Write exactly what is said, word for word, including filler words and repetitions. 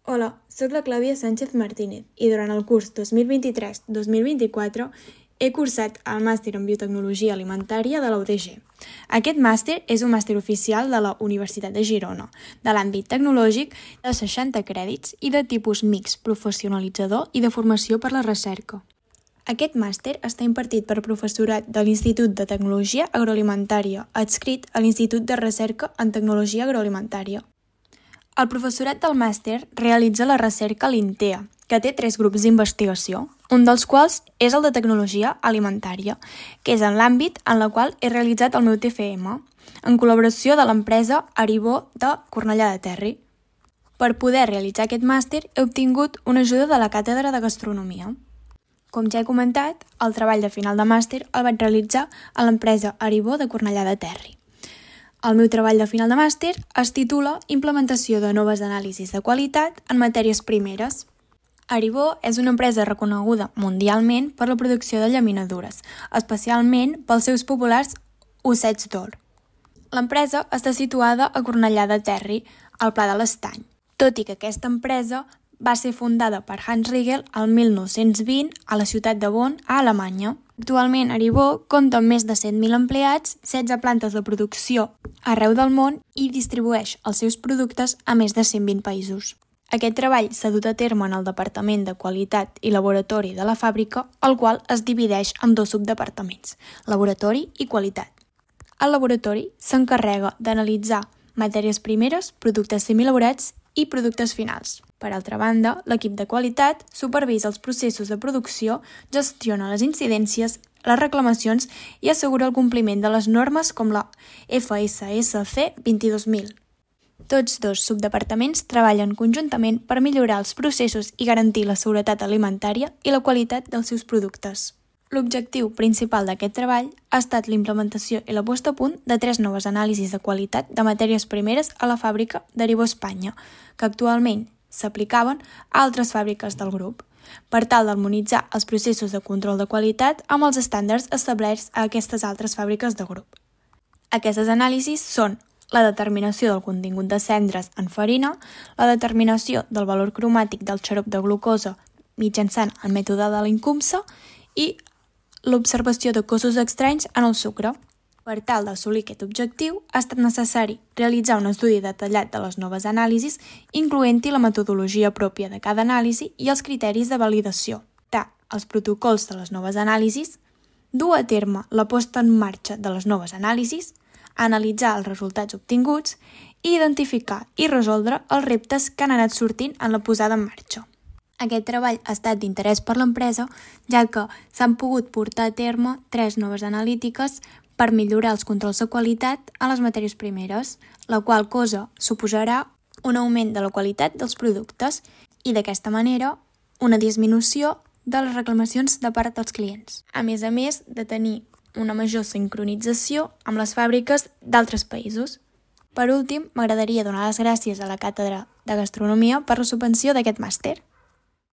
Hola, soc la Clàudia Sánchez Martínez i durant el curs dos mil vint-i-tres dos mil vint-i-quatre he cursat el màster en Biotecnologia Alimentària de la U D G. Aquest màster és un màster oficial de la Universitat de Girona, de l'àmbit tecnològic, de seixanta crèdits i de tipus mixt, professionalitzador i de formació per la recerca. Aquest màster està impartit per professorat de l'Institut de Tecnologia Agroalimentària, adscrit a l'Institut de Recerca en Tecnologia Agroalimentària. El professorat del màster realitza la recerca a l'INTEA, que té tres grups d'investigació, un dels quals és el de Tecnologia Alimentària, que és en l'àmbit en el qual he realitzat el meu T F M, en col·laboració de l'empresa Aribó de Cornellà de Terri. Per poder realitzar aquest màster he obtingut una ajuda de la Càtedra de Gastronomia. Com ja he comentat, el treball de final de màster el vaig realitzar a l'empresa Aribó de Cornellà de Terri. El meu treball de final de màster es titula Implementació de noves anàlisis de qualitat en matèries primeres. Aribó és una empresa reconeguda mundialment per la producció de llaminadures, especialment pels seus populars ossets d'or. L'empresa està situada a Cornellà de Terri, al Pla de l'Estany, tot i que aquesta empresa va ser fundada per Hans Riegel el mil nou-cents vint a la ciutat de Bonn, a Alemanya. Actualment, Aribó compta amb més de set mil empleats, setze plantes de producció arreu del món i distribueix els seus productes a més de cent vint països. Aquest treball s'ha dut a terme en el Departament de Qualitat i Laboratori de la fàbrica, el qual es divideix en dos subdepartaments, Laboratori i Qualitat. El laboratori s'encarrega d'analitzar matèries primeres, productes semielaborats i productes finals. Per altra banda, l'equip de qualitat supervisa els processos de producció, gestiona les incidències, les reclamacions i assegura el compliment de les normes com la F S S C vint-i-dos mil. Tots dos subdepartaments treballen conjuntament per millorar els processos i garantir la seguretat alimentària i la qualitat dels seus productes. L'objectiu principal d'aquest treball ha estat la implementació i la posta a punt de tres noves anàlisis de qualitat de matèries primeres a la fàbrica d'Aribó Espanya, que actualment s'aplicaven a altres fàbriques del grup, per tal d'harmonitzar els processos de control de qualitat amb els estàndards establerts a aquestes altres fàbriques de grup. Aquestes anàlisis són la determinació del contingut de cendres en farina, la determinació del valor cromàtic del xarop de glucosa mitjançant el mètode de l'INCUMSA i l'observació de cossos estranys en el sucre. Per tal d'assolir aquest objectiu, ha estat necessari realitzar un estudi detallat de les noves anàlisis, incloent-hi la metodologia pròpia de cada anàlisi i els criteris de validació, els protocols de les noves anàlisis, dur a terme la posta en marxa de les noves anàlisis, analitzar els resultats obtinguts i identificar i resoldre els reptes que han anat sortint en la posada en marxa. Aquest treball ha estat d'interès per l'empresa, ja que s'han pogut portar a terme tres noves analítiques per millorar els controls de qualitat a les matèries primeres, la qual cosa suposarà un augment de la qualitat dels productes i, d'aquesta manera, una disminució de les reclamacions de part dels clients, a més a més de tenir una major sincronització amb les fàbriques d'altres països. Per últim, m'agradaria donar les gràcies a la Càtedra de Gastronomia per la subvenció d'aquest màster.